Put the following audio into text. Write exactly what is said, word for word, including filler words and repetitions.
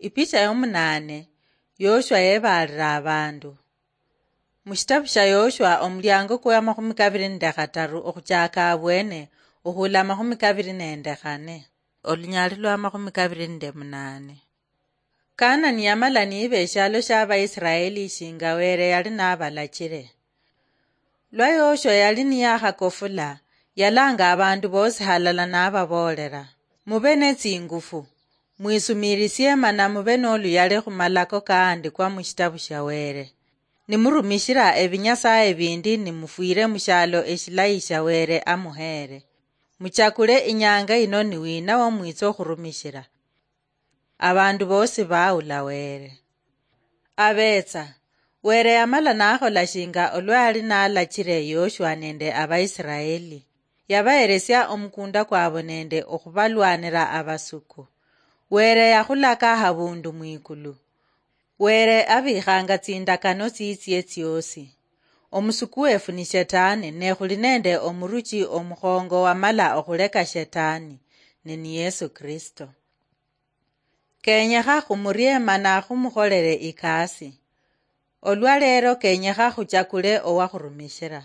Ipicha yomunaane, Yoshua yebaalira abandu. Mushitabu sha Yoshua, omulyango kwe amakhumi kabiri nende khataru okhuchaka abwene, okhula amakhumi kabiri nende khane. Olunyali lwa amakhumi kabiri nende munaane. Kanani yamala niiba eshialo shia Abaisiraeli shinga Were yali nabalachire. Lwa Yoshua yali niyakhakofula, yalanga abandu bosi halala nababoolera, "Mube netsingufu, mwisumiirisie mana mube noluyali khumalako kaandikwa mushitabu shia Were. Nimurumishira ebinyasaye bindi nimufwire mushialo eshilayi shia Were amuheere. Muchakule inyanga ino ni wina wamwitsa okhurumishira." Abandu bosi baula Were. Abetsa, Were yamala nakhola shinga olwa yali nalachire Yoshua nende Abaisiraeli. Yabaheresia omukunda kwabo nende okhubalwanira abasuku. Were yakhulaka habundu mwikulu. Were abikhanga tsindakano tsitsie tsiosi. Omusuku wefu ni Shetani, ne khuli nende omuruchi omukhongo wamala okhuleka Shetani, ne ni Yesu Kristo. Kenyekha khumurie mana khumukholere ikasi. Olwa leero kenyekha khuchakule owakhurumishira.